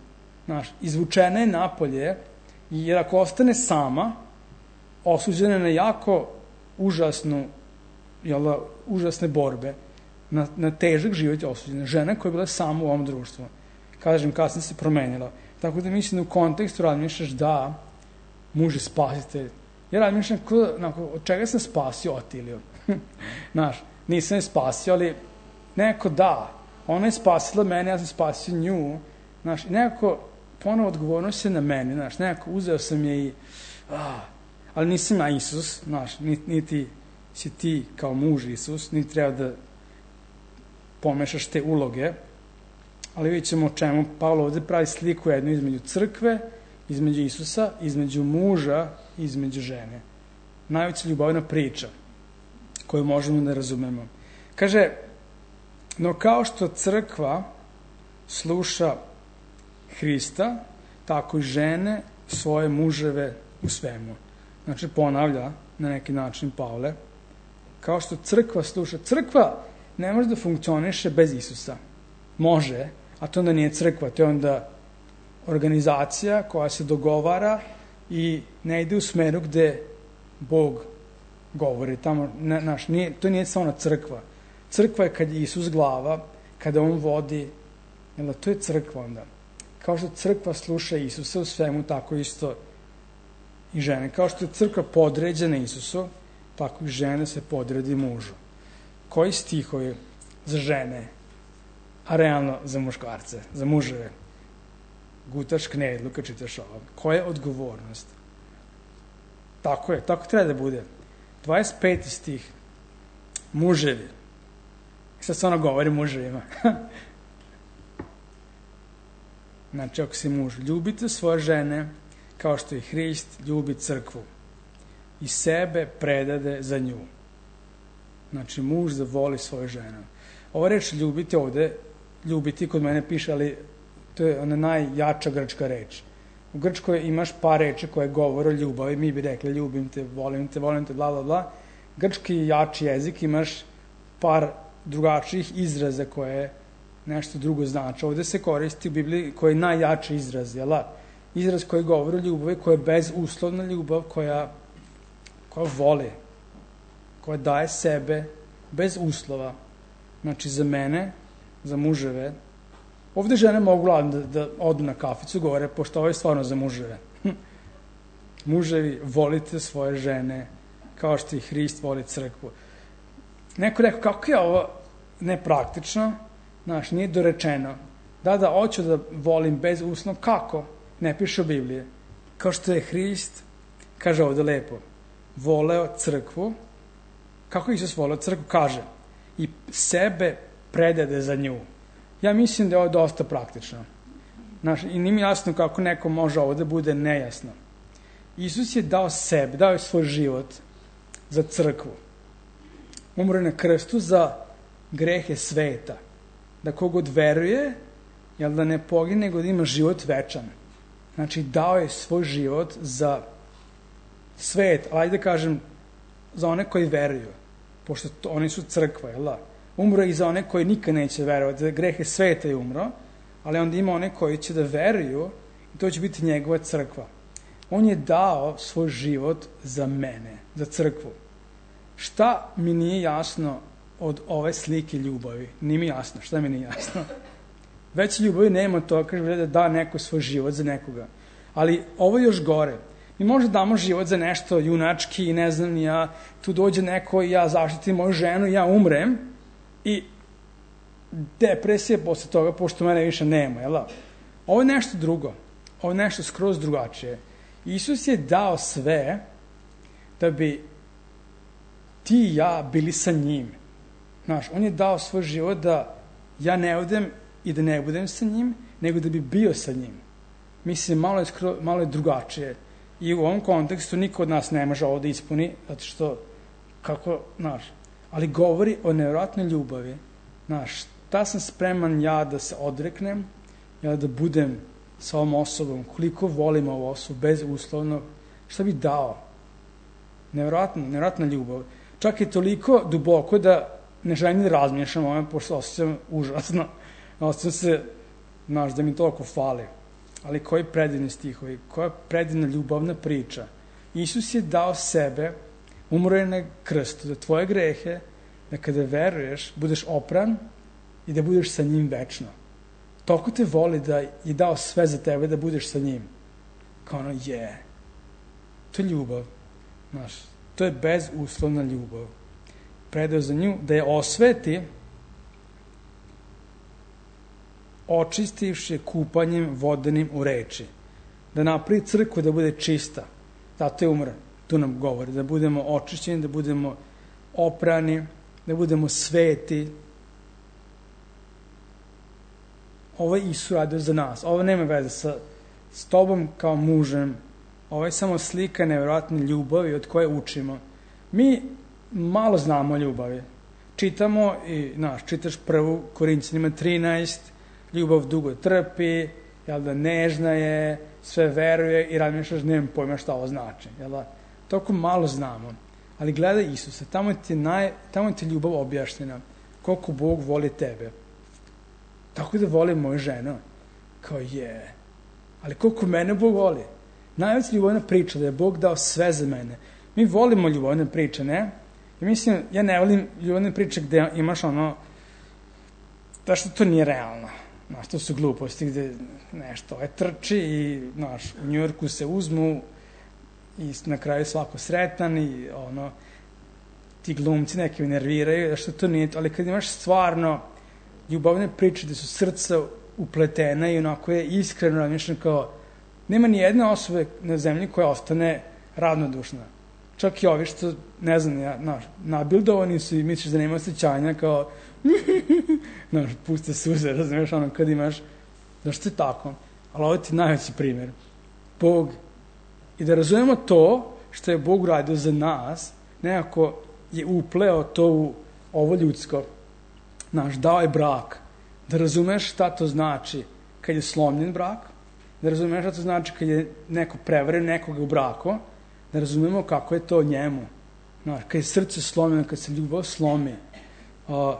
Znaš, izvučena je napolje, jer ako ostane sama, osuđena je na jako užasnu, jel da, užasne borbe, na, na težak život je osuđena. Žena koja je bila sama u ovom društvu. Kažem, kasnije se promenila. Tako da mislim da u kontekstu razmišljaš da muž je spasitelj. Ja razmišljam, od čega sam spasio Otiliju? Znaš, nisam je spasio, ali nekako da. Ona je spasila mene, ja sam spasio nju. Znaš, i nekako ponovo odgovornost je na meni. Znaš, nekako uzeo sam je i... Ah, ali nisam ja Isus, znaš, niti, niti si ti kao muž Isus, niti treba da pomešaš te uloge. Ali vidjet ćemo o čemu Pavlo ovdje pravi sliku jednu između crkve, između Isusa, između muža i između žene. Najveća ljubavna priča koju možemo da razumemo. Kaže, no kao što crkva sluša Hrista, tako i žene svoje muževe u svemu. Znači, ponavlja na neki način Pavle, kao što crkva sluša. Crkva ne može da funkcioniše bez Isusa. Može, a to onda nije crkva, to je onda organizacija koja se dogovara i ne ide u smeru gde Bog govori. Tamo, ne, naš, nije, to nije samo crkva. Crkva je kad je Isus glava, kada on vodi, jel, to je crkva onda. Kao što crkva sluša Isusa u svemu, tako isto i žene. Kao što je crkva podređena Isusu, tako i žene se podredi mužu. Koji stihovi za žene, a realno za muškarce, za muževe? Gutaš knedlu kad čitaš ovo. Koja je odgovornost? Tako je, tako treba da bude. dvadeset peti stih. Muževi. Sad se ono govori muževima. Znači, ako si muž, ljubite svoje žene kao što i Hrist ljubi crkvu i sebe predade za nju. Znači, muž da voli svoju ženu. Ova reč ljubiti ovde, ljubiti kod mene piše, ali to je ona najjača grčka reč. U Grčkoj imaš par reči koje govore o ljubavi, mi bi rekli ljubim te, volim te, volim te, bla, bla, bla. Grčki jači jezik imaš par drugačijih izraza koje nešto drugo znači. Ovde se koristi u Bibliji koji je najjači izraz, jel da? Izraz koji govori o ljubavi, koja je bezuslovna ljubav, koja, koja voli, koja daje sebe bez uslova. Znači, za mene, za muževe, ovde žene mogu da, da odu na kaficu, govore, pošto ovo je stvarno za muževe. Muževi, volite svoje žene, kao što i Hrist voli crkvu. Neko rekao, kako je ovo nepraktično, znaš, nije dorečeno. Da, da, hoću da volim bez uslova, kako? Ne piše u Bibliji. Kao što je Hrist, kaže ovde lepo, voleo crkvu. Kako Isus voleo crkvu? Kaže, i sebe predade za nju. Ja mislim da je ovo dosta praktično. Znaš, i nije mi jasno kako neko može ovo da bude nejasno. Isus je dao sebe, dao je svoj život za crkvu. Umro na krstu za grehe sveta. Da kogod veruje, jel da ne pogine, nego da ima život večan. Znači, dao je svoj život za svet, ali da kažem, za one koji veruju. Pošto to, oni su crkva, jel da? Umro i za one koji nikad neće verovati, za grehe sveta je umro, ali onda ima one koji će da veruju i to će biti njegova crkva. On je dao svoj život za mene, za crkvu. Šta mi nije jasno od ove slike ljubavi? Nije mi jasno, šta mi nije jasno? Već ljubavi nema to, kaže da da neko svoj život za nekoga. Ali ovo je još gore. Mi možda damo život za nešto junački i ne znam, ja, tu dođe neko i ja zaštitim moju ženu i ja umrem i depresija posle toga, pošto mene više nema, jel da? Ovo je nešto drugo. Ovo je nešto skroz drugačije. Isus je dao sve da bi ti i ja bili sa njim. Znaš, on je dao svoj život da ja ne odem i da ne budem sa njim, nego da bi bio sa njim. Mislim, malo je, skro, malo je drugačije. I u ovom kontekstu niko od nas ne može ovo da ispuni, zato što, kako, znaš, ali govori o nevjerojatnoj ljubavi. Znaš, šta sam spreman ja da se odreknem, ja da budem sa ovom osobom, koliko volim ovu osobu, bezuslovno, šta bi dao? Nevjerojatna, nevjerojatna ljubav. Čak je toliko duboko da ne želim da razmišljam o ovome, pošto osjećam užasno. Osjećam se, znaš, da mi toliko fali. Ali koji predivni stihovi, koja predivna ljubavna priča. Isus je dao sebe, umro je na krstu za tvoje grehe, da kada veruješ, budeš opran i da budeš sa njim večno. Toliko te voli da je dao sve za tebe da budeš sa njim. Kao ono, je. Yeah. To je ljubav. Znaš, to je bezuslovna ljubav. Predao za nju da je osveti, očistivši kupanjem vodenim u reči. Da napravi crkvu da bude čista. Zato je umro. Tu nam govori. Da budemo očišćeni, da budemo oprani, da budemo sveti. Ovo je Isus radio za nas. Ovo nema veze sa s tobom kao mužem. Ovo je samo slika nevjerojatne ljubavi od koje učimo. Mi malo znamo o ljubavi. Čitamo i, znaš, čitaš prvu Korinćanima trinaest, ljubav dugo trpi, jel da, nežna je, sve veruje i razmišljaš, nemam pojma šta ovo znači, jel da? Toliko malo znamo. Ali gledaj Isusa, tamo ti je, naj, tamo ti je ljubav objašnjena, koliko Bog voli tebe. Tako da voli moju ženu. Kao je. Ali koliko mene Bog voli. Najveća ljubavna priča da je Bog dao sve za mene. Mi volimo ljubavne priče, ne? Ja mislim, ja ne volim ljubavne priče gde imaš ono, da što to nije realno. Znaš, to su gluposti gde nešto je trči i, znaš, u Njujorku se uzmu i na kraju svako sretan i, ono, ti glumci neki me nerviraju, da što to nije, ali kad imaš stvarno ljubavne priče gde su srca upletena i onako je iskreno razmišljeno, kao, nema ni jedne osobe na zemlji koja ostane ravnodušna. Čak i ovi što, ne znam, ja, znaš, nabildovani su i misliš da nema osjećanja, kao, znaš, puste suze, razumiješ, ono, kad imaš, zašto je tako? Ali ovo ti je najveći primjer. Bog, i da razumemo to što je Bog uradio za nas, nekako je upleo to u ovo ljudsko. Znaš, dao je brak. Da razumeš šta to znači kad je slomljen brak, da razumeš šta to znači kad je neko prevaren nekoga u braku, da razumemo kako je to njemu. Znaš, kad je srce slomljeno, kad se ljubav slomi. Uh,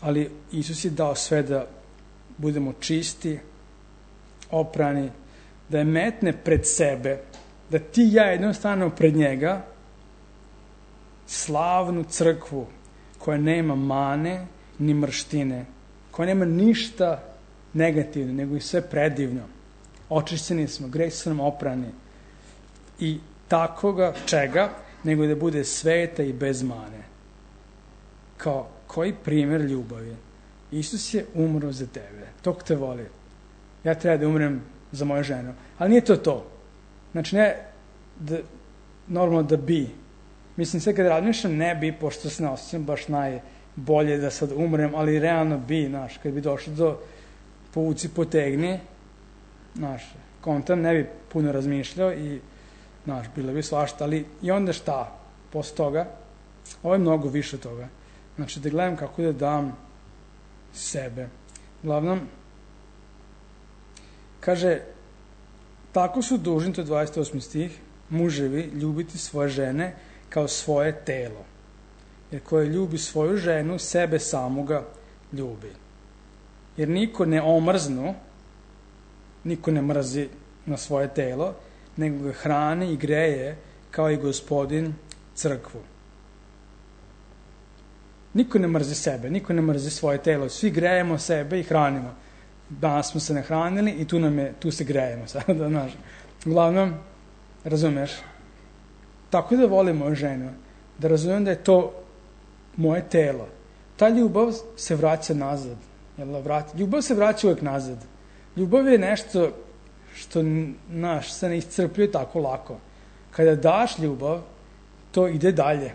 ali Isus je dao sve da budemo čisti, oprani, da je metne pred sebe, da ti i ja jednom stanemo pred njega, slavnu crkvu koja nema mane ni mrštine, koja nema ništa negativno, nego i sve predivno. Očišćeni smo, grehi su nam oprani. I takoga čega, nego da bude sveta i bez mane. Kao koji primjer ljubavi. Isus je umro za tebe. Tog te voli. Ja treba da umrem za moju ženu. Ali nije to to. Znači ne da, normalno da bi. Mislim, sve kad razmišljam ne bi, pošto se ne osjećam baš najbolje da sad umrem, ali realno bi, znaš, kad bi došlo do povuci potegni, znaš, kontam ne bi puno razmišljao i, znaš, bilo bi svašta, ali i onda šta? Posle toga, ovo je mnogo više toga. Znači, da gledam kako da dam sebe. Uglavnom, kaže, tako su dužni, to je dvadeset osmi stih, muževi ljubiti svoje žene kao svoje telo. Jer koje ljubi svoju ženu, sebe samoga ljubi. Jer niko ne omrznu, niko ne mrzi na svoje telo, nego ga hrani i greje kao i Gospodin crkvu. Niko ne mrzi sebe, niko ne mrzi svoje telo. Svi grejemo sebe i hranimo. Danas smo se nahranili i tu, nam je, tu se grejemo sada, znaš. Uglavnom, razumeš, tako da volim moju ženu, da razumem da je to moje telo. Ta ljubav se vraća nazad. Jel, vrati? Ljubav se vraća uvek nazad. Ljubav je nešto što, znaš, se ne iscrpljuje tako lako. Kada daš ljubav, to ide dalje.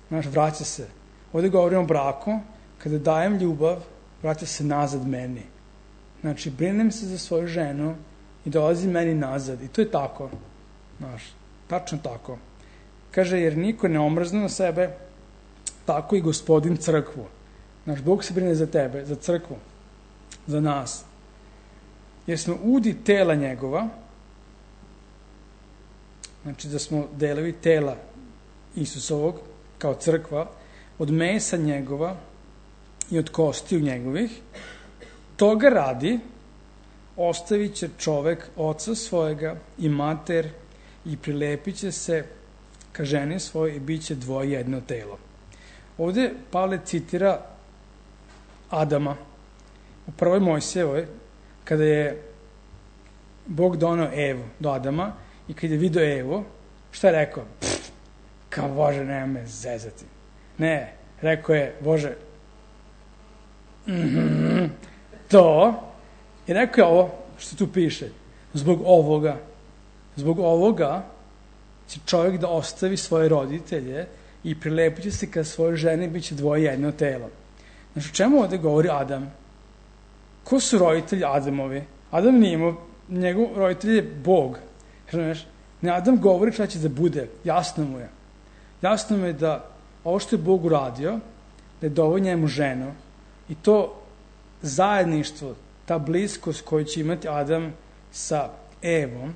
Znaš, vraća se. Ovdje govorimo o braku, kada dajem ljubav, vraća se nazad meni. Znači, brinem se za svoju ženu i dolazi meni nazad. I to je tako. Znaš, tačno tako. Kaže, jer niko ne omrzne na sebe, tako i Gospodin crkvu. Znaš, Bog se brine za tebe, za crkvu, za nas. Jer smo udi tela njegova, znači da smo delovi tela Isusovog, kao crkva, od mesa njegova i od kostiju njegovih, toga radi ostavit će čovek oca svojega i mater i prilepit će se ka ženi svoj i bit će dvoje jedno telo. Ovdje Pavle citira Adama u prvoj Mojsijevoj, kada je Bog donao Evu do Adama i kada je vidio Evu, šta je rekao? Pff, kao Bože, nema me zezati. Ne, rekao je, Bože, mm-hmm, to, i rekao je ovo, što tu piše, zbog ovoga, zbog ovoga će čovjek da ostavi svoje roditelje i prilepit će se ka svojoj ženi, bit će dvoje jedno telo. Znači, o čemu ovdje govori Adam? Ko su roditelji Adamovi? Adam nije imao, njegov roditelj je Bog. Znaš, ne, Adam govori šta će da bude, jasno mu je. Jasno mu je da ovo što je Bog uradio, da je doveo njemu ženu i to zajedništvo, ta bliskost koju će imati Adam sa Evom,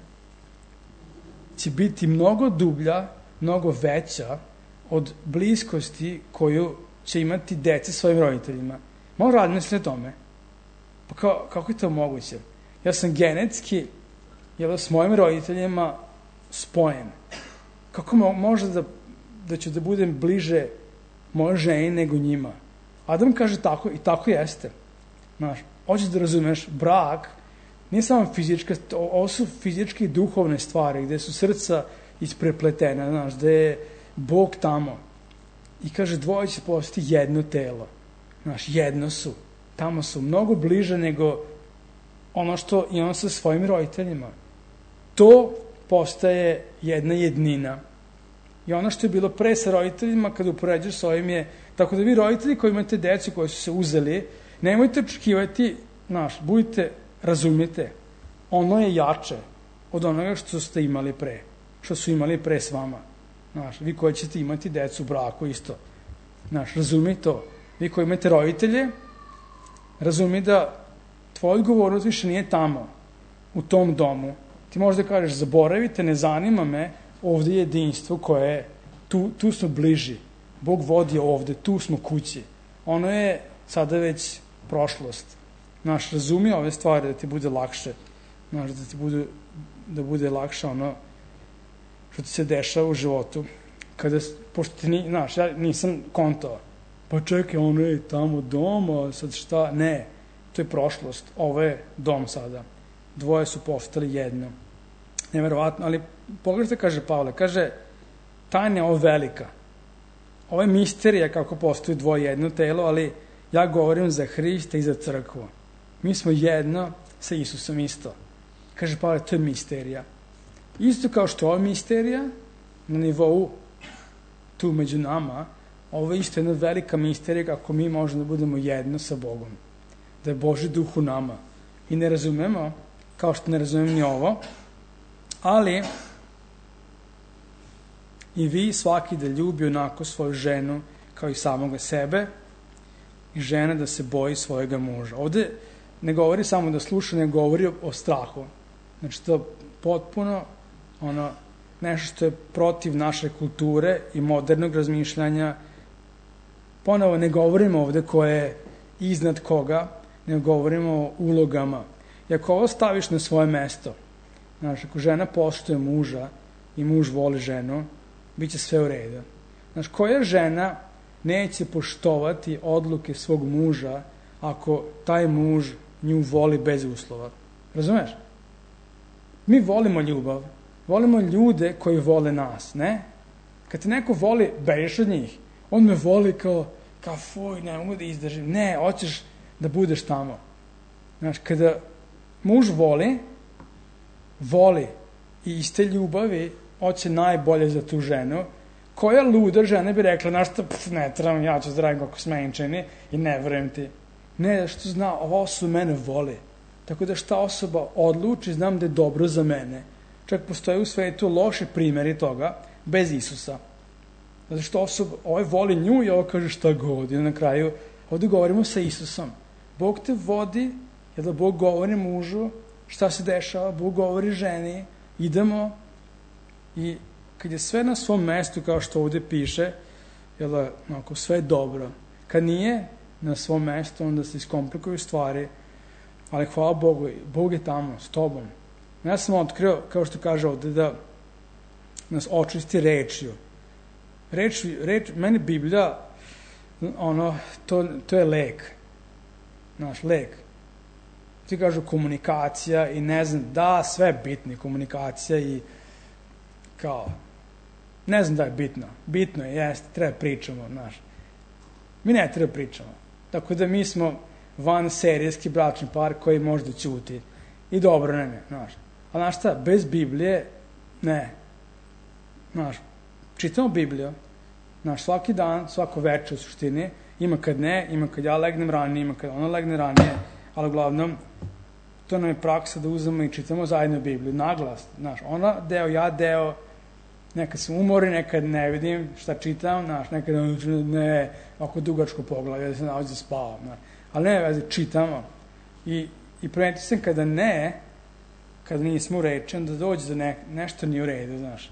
će biti mnogo dublja, mnogo veća od bliskosti koju će imati dece svojim roditeljima. Malo razmisli o tome. Pa kao, kako je to moguće? Ja sam genetski jel, s mojim roditeljima spojen. Kako mo- može da, da ću da budem bliže mojoj ženi nego njima? Adam kaže tako i tako jeste. Znaš, hoćeš da razumeš, brak nije samo fizička, ovo su fizičke i duhovne stvari, gde su srca isprepletena, znaš, gde je Bog tamo. I kaže, dvoje će postati jedno telo. Znaš, jedno su. Tamo su mnogo bliže nego ono što imam sa svojim roditeljima. To postaje jedna jednina. I ono što je bilo pre sa roditeljima, kada upoređaš s ovim je, tako da vi roditelji koji imate decu koji su se uzeli, nemojte očekivati, znaš, budite, razumite, ono je jače od onoga što ste imali pre, što su imali pre s vama. Znaš, vi koji ćete imati decu u braku isto. Znaš, razumi to. Vi koji imate roditelje, razumi da tvoja odgovornost više nije tamo, u tom domu. Ti možda kažeš, zaboravite, ne zanima me, ovde je jedinstvo koje je, tu, tu smo bliži. Bog vodi ovde, tu smo kući. Ono je sada već prošlost. Znaš, razumi ove stvari da ti bude lakše. Znaš, da ti bude, da bude lakše ono što ti se dešava u životu. Kada, pošto ti, ni, znaš, ja nisam kontao. Pa čekaj, ono je tamo doma, sad šta? Ne, to je prošlost. Ovo je dom sada. Dvoje su postali jedno. Neverovatno, ali pogledajte, kaže Pavle, kaže, tajna je ovo velika. Ovo je misterija kako postoji dvoje jedno telo, ali ja govorim za Hrista i za crkvu. Mi smo jedno sa Isusom isto. Kaže Pavle, to je misterija. Isto kao što je ovo misterija, na nivou tu među nama, ovo je isto jedna velika misterija kako mi možemo da budemo jedno sa Bogom. Da je Božji duh u nama. I ne razumemo, kao što ne razumemo ni ovo, ali i vi svaki da ljubi onako svoju ženu kao i samoga sebe i žena da se boji svojega muža. Ovde ne govori samo da sluša, ne govori o strahu. Znači to je potpuno ono, nešto što je protiv naše kulture i modernog razmišljanja. Ponovo ne govorimo ovde ko je iznad koga, ne govorimo o ulogama. I ako ovo staviš na svoje mesto, znači ako žena poštuje muža i muž voli ženu, bit će sve u redu. Znači, koja žena neće poštovati odluke svog muža ako taj muž nju voli bez uslova? Razumeš? Mi volimo ljubav. Volimo ljude koji vole nas, ne? Kad te neko voli, bežiš od njih. On me voli kao, kao fuj, ne mogu da izdržim. Ne, hoćeš da budeš tamo. Znači, kada muž voli, voli i iz te ljubavi hoće najbolje za tu ženu, koja luda žena bi rekla, znaš šta, pf, ne trebam, ja ću zdravim kako smenčeni i ne verujem ti. Ne, što zna, ova osoba mene voli. Tako da šta osoba odluči, znam da je dobro za mene. Čak postoje u svetu loše primjeri toga, bez Isusa. Zato što osoba, ovaj voli nju i ovo kaže šta god. I na kraju, ovdje govorimo sa Isusom. Bog te vodi, jer da Bog govori mužu, šta se dešava, Bog govori ženi, idemo. I kad je sve na svom mestu, kao što ovdje piše, jel da, ako sve je dobro. Kad nije na svom mestu, onda se iskomplikuju stvari, ali hvala Bogu, Bog je tamo, s tobom. Ja sam otkrio, kao što kaže ovdje, da nas očisti rečju. Reč, reč, meni Biblija, ono, to, to je lek. Naš lek. Ti kažu komunikacija i ne znam, da, sve je bitno, komunikacija i kao, ne znam da je bitno. Bitno je, jeste, treba pričamo, znaš. Mi ne treba pričamo. Tako da mi smo van serijski bračni par koji možda ćuti. I dobro nam je, znaš. A znaš šta, bez Biblije, ne. Znaš, čitamo Bibliju, znaš, svaki dan, svako večer u suštini, ima kad ne, ima kad ja legnem ranije, ima kad ona legne ranije, ali uglavnom, to nam je praksa da uzmemo i čitamo zajedno Bibliju, naglas, znaš, ona deo, ja deo, nekad sam umori, nekad ne vidim šta čitam, znaš, nekad ne, ako dugačko poglavlje, da se nalazi spavam, znaš, ali ne, veze, čitamo. I, i primetio sam kada ne, kada nismo u reči, onda dođe da ne, nešto nije u redu, znaš.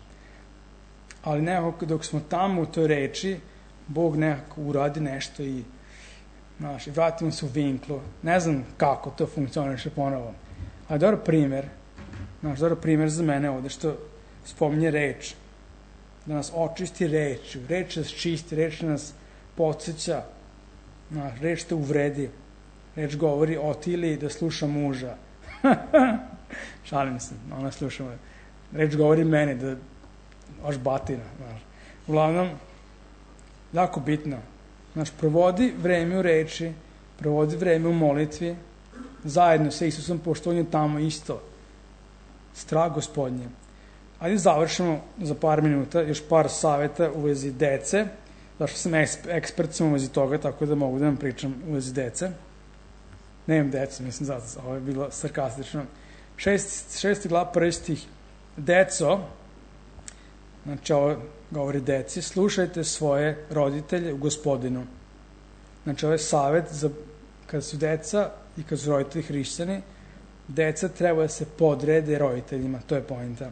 Ali nekako dok smo tamo u toj reči, Bog nekako uradi nešto i, znaš, i vratimo se u vinklu. Ne znam kako to funkcioniše ponovo. Ali dobro primjer, znaš, dobro primjer za mene ovde, što spominje reč. Da nas očisti rečju. Reč nas čisti, reč nas podsjeća. Znaš, reč te uvredi. Reč govori Otili da sluša muža. Šalim se, ona sluša muža. Reč govori meni da baš batina, znaš. Uglavnom, jako bitno. Znaš, provodi vreme u reči, provodi vreme u molitvi, zajedno sa Isusom, pošto on je tamo isto. Strah Gospodnje. Ajde završimo za par minuta, još par savjeta u vezi dece, zašto sam ekspert sam u vezi toga, tako da mogu da vam pričam u vezi dece. Nemam dece, mislim, zato ovo je bilo sarkastično. Šest, šesti glav, prvi stih. Deco, Znači, ovo govori deci, slušajte svoje roditelje u Gospodinu. Znači, ovo je savjet za kada su deca i kada su roditelji hrišćani, deca treba da se podrede roditeljima, to je poenta.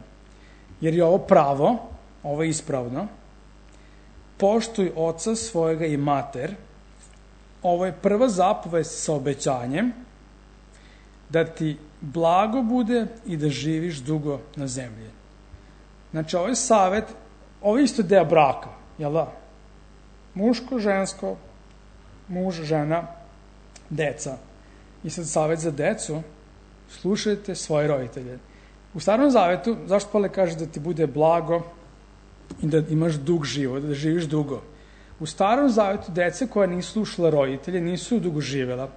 Jer je ovo pravo, ovo je ispravno, poštuj oca svojega i mater, ovo je prva zapovest sa obećanjem, da ti blago bude i da živiš dugo na zemlji. Znači, ovo je savjet, ovo je isto deo braka, jel da? Muško, žensko, muž, žena, deca. I sad savjet za decu, slušajte svoje roditelje. U Starom Zavetu, zašto Pavle kaže da ti bude blago i da imaš dug život, da živiš dugo? U Starom Zavetu deca koja nisu slušala roditelje nisu dugo živjela.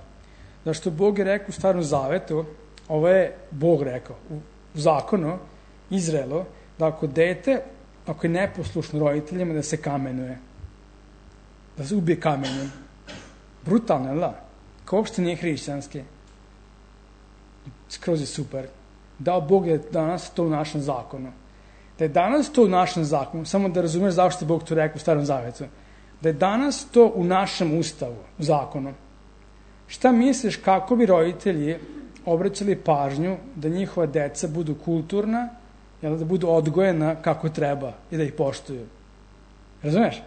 Zašto Bog je rekao u Starom Zavetu, ovo je Bog rekao, u zakonu Izraelu, da ako dete, ako je neposlušno roditeljima, da se kamenuje. Da se ubije kamenjem. Brutalno, jel da? Ko uopšte nije hrišćanski. Skroz je super. Dao Bog je danas to u našem zakonu. Da je danas to u našem zakonu, samo da razumeš zašto je Bog to rekao u Starom Zavetu, da je danas to u našem ustavu, u zakonu. Šta misliš kako bi roditelji obraćali pažnju da njihova deca budu kulturna, jel, da budu odgojena kako treba i da ih poštuju? Razumeš?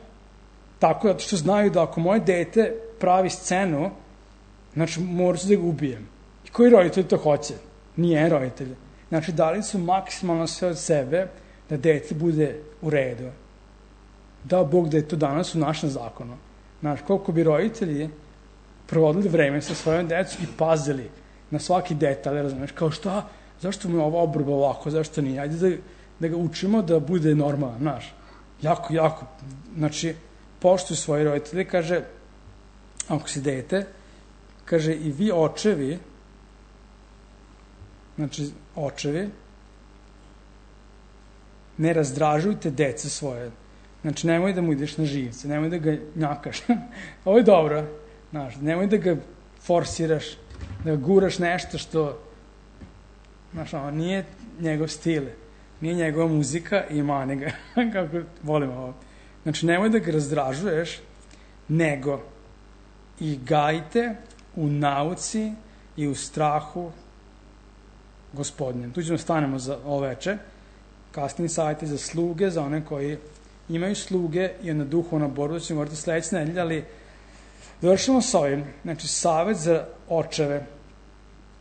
Tako da što znaju da ako moje dete pravi scenu, znači moram da ga ubijem. I koji roditelj to hoće? Nije roditelj. Znači dali su maksimalno sve od sebe da dete bude u redu. Dao Bog da je to danas u našem zakonu. Znači koliko bi roditelji provodili vreme sa svojom decom i pazili na svaki detalj, razumeš, kao šta, zašto mu je ova obrba ovako, zašto nije, ajde da, da ga učimo da bude normalan, znaš, jako, jako, znači, poštuj svoje roditelje, kaže, ako si dete, kaže, i vi očevi, znači, očevi, ne razdražujte dece svoje, znači, nemoj da mu ideš na živce, nemoj da ga njakaš, ovo je dobro, znaš, nemoj da ga forsiraš, da ga guraš nešto što, znaš, ono, nije njegov stil, nije njegova muzika i mani ga, kako volim ovo. Znači, nemoj da ga razdražuješ, nego i gajte u nauci i u strahu Gospodnjem. Tu ćemo stanemo za oveče, kasnije savjeti za sluge, za one koji imaju sluge i na duhovna borba, ćemo govoriti sledeće nedelje, ali završimo s ovim. Znači, savjet za očeve.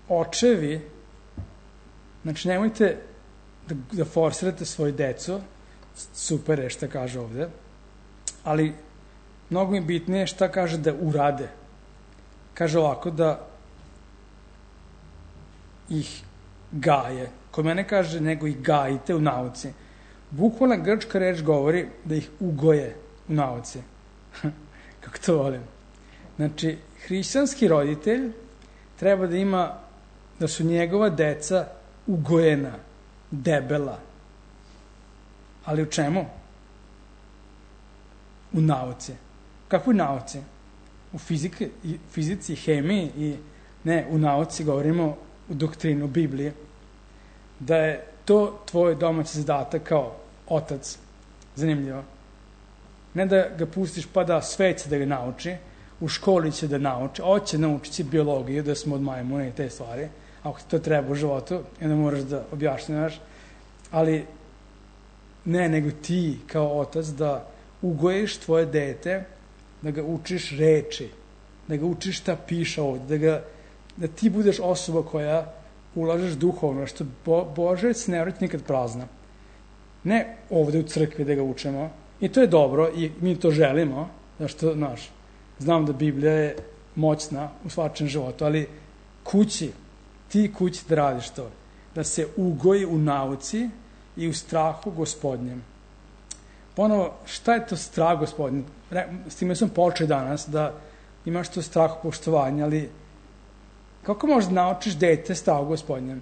Očevi, znači, nemojte da, da forsirate svoju decu, super je šta kaže ovde, ali mnogo mi bitnije šta kaže da urade. Kaže ovako, da ih gaje. Kod mene kaže, nego ih gajite u nauci. Bukvalna grčka reč govori da ih ugoje u nauci. Kako to volim. Znači, hrišćanski roditelj treba da ima, da su njegova deca ugojena, debela. Ali u čemu? U nauci. Kakvoj nauci? U fizike, fizici, hemiji i ne, u nauci govorimo u doktrinu Biblije. Da je to tvoj domaći zadatak kao otac. Zanimljivo. Ne da ga pustiš pa da sveće da ga nauči, u školi će da nauči, hoće naučiti biologiju, da smo od majmuna i te stvari, ako ti to treba u životu, onda moraš da objašnjavaš, ali ne, nego ti kao otac da ugojiš tvoje dete, da ga učiš reči, da ga učiš šta piše ovde, da, ga, da ti budeš osoba koja ulažeš duhovno, što Bo, Božec ne vrati nikad prazna. Ne ovde u crkvi da ga učemo, i to je dobro, i mi to želimo, zašto, znaš, znam da Biblija je moćna u svačem životu, ali kući, ti kući da radiš to, da se ugoji u nauci i u strahu Gospodnjem. Ponovo, šta je to strah Gospodnjem? S time sam počeo danas, da imaš to strah poštovanja, ali kako možeš da naučiš dete strahu Gospodnjem?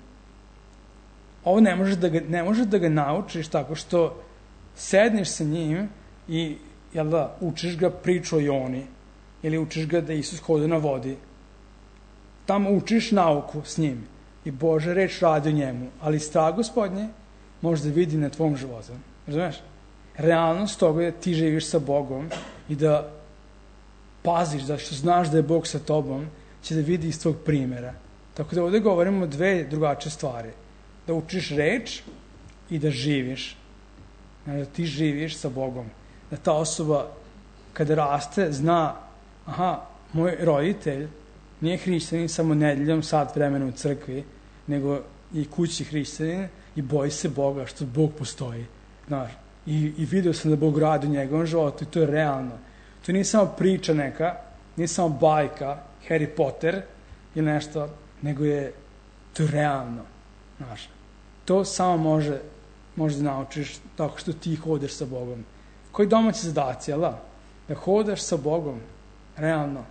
Ovo ne možeš da ga, ne možeš da ga naučiš tako što sedneš sa njim i, jel da, učiš ga priču o Joni, ili učiš ga da Isus hoda na vodi. Tamo učiš nauku s njim i Božja reč radi o njemu, ali strah Gospodnje može da vidi na tvom životu. Razumeš? realnost toga je da ti živiš sa Bogom i da paziš, da što znaš da je Bog sa tobom, će da vidi iz tvog primjera. Tako da ovdje govorimo o dve drugačije stvari. Da učiš reč i da živiš. Da ti živiš sa Bogom. Da ta osoba kada raste zna, aha, moj roditelj nije hrišćanin samo nedeljom sat vremena u crkvi, nego i kući hrišćanin i boji se Boga što Bog postoji. Znaš, i, i vidio sam da Bog radi u njegovom životu i to je realno. To nije samo priča neka, nije samo bajka, Harry Potter ili nešto, nego je to je realno. Znaš, to samo može, može da naučiš tako što ti hodeš sa Bogom. Koji domaći zadaci, jel da? Da hodaš sa Bogom, realno.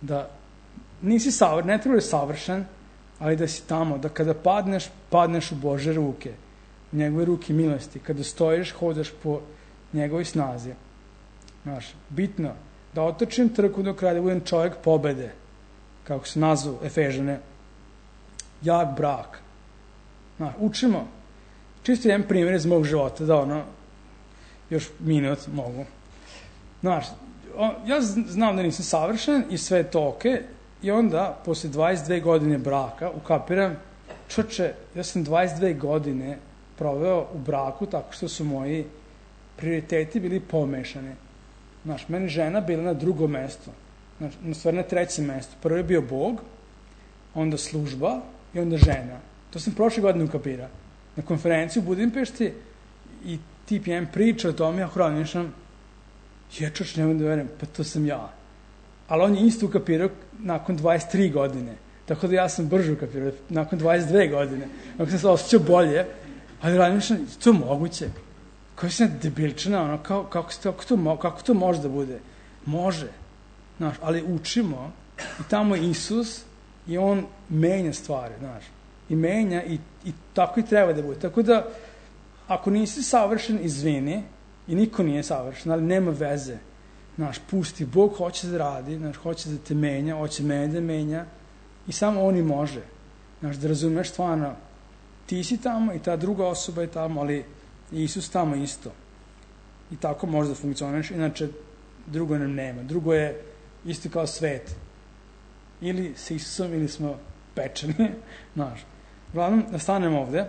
Da nisi savršen, ne treba da je savršen, ali da si tamo, da kada padneš, padneš u Bože ruke, u njegove ruke milosti. Kada stojiš, hodaš po njegovoj snazi. Znaš, bitno, da otočim trku do kraja, da budem čovjek pobede, kako se nazvu Efežane, jak brak. Znaš, učimo. Čisto jedan primjer iz mog života, da ono, još minut mogu. Znaš, ja znam da nisam savršen i sve je to okej, i onda, posle dvadeset dve godine braka, ukapiram, čoče, ja sam dvadeset dve godine proveo u braku tako što su moji prioriteti bili pomešani. Znaš, meni žena bila na drugom mestu, znači, na stvari na trećem mestu. Prvo je bio Bog, onda služba i onda žena. To sam prošle godine ukapirao. Na konferenciji u Budimpešti i tip jedan priča o tome, ja hronišam, je čoč, nemoj da verujem, pa to sam ja. Ali on je isto ukapirao nakon dvadeset tri godine. Tako da ja sam brže ukapirao, nakon dvadeset dve godine. Nakon sam se osjećao bolje, ali razmišljam, to je moguće. Koja si debilčina, ono, kao, kako, kako, to, kako to može da bude? Može. Znaš, ali učimo i tamo je Isus i on menja stvari, znaš. I menja i, i tako i treba da bude. Tako da, ako nisi savršen, izvini, i niko nije savršen, ali nema veze. Znaš, pusti, Bog hoće da radi, znaš, hoće da te menja, hoće mene da menja i samo on i može. Znaš, da razumeš stvarno, ti si tamo i ta druga osoba je tamo, ali Isus tamo isto. I tako može da funkcioniš, inače drugo nam nema. Drugo je isto kao svet. Ili s Isusom, ili smo pečeni, znaš. Uglavnom, da stanemo ovde,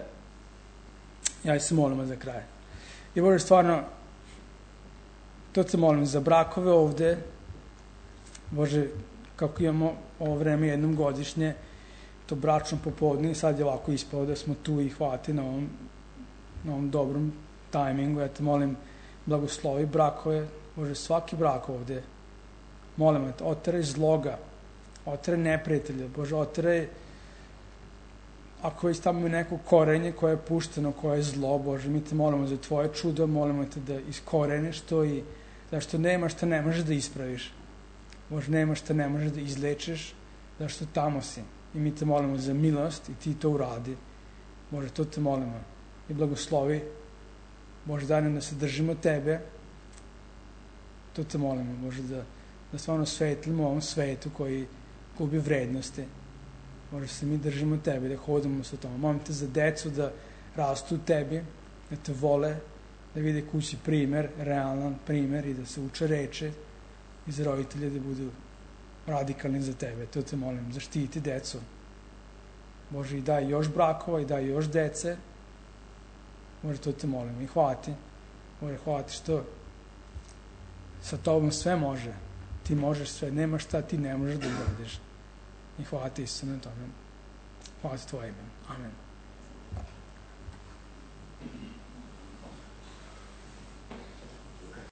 ja se molimo za kraj. I Bože, stvarno, to se molim za brakove ovde, Bože, kako imamo ovo vreme jednom godišnje, to bračno popodne, sad je ovako ispalo da smo tu i hvati na ovom, na ovom dobrom tajmingu. Ja te molim, blagoslovi brakove, Bože, svaki brak ovde, molim te, oteraj zloga, oteraj neprijatelja, Bože, oteraj, ako je tamo neko korenje koje je pušteno, koje je zlo, Bože, mi te molimo za tvoje čudo, molimo te da iskoreniš to i zašto nema šta ne možeš da ispraviš. Bože, nema šta ne možeš da izlečiš, zašto tamo si. I mi te molimo za milost i ti to uradi. Bože, to te molimo. I blagoslovi, Bože, daj nam da se držimo tebe. To te molimo, Bože, da, da stvarno svetlimo ovom svetu koji gubi vrednosti. Bože, se mi držimo tebe, da hodamo sa tome. Molim te za decu da rastu u tebi, da te vole, da vide kući primer, realan primer i da se uče reče i za roditelje da budu radikalni za tebe. To te molim, zaštiti decu. Bože, i daj još brakova, i daj još dece. Bože, to te molim. I hvala ti. Bože, hvala ti što sa tobom sve može. Ti možeš sve. Nema šta ti ne možeš da uradiš. I hvala ti Isu na tome. Hvala ti tvoje ime. Amen.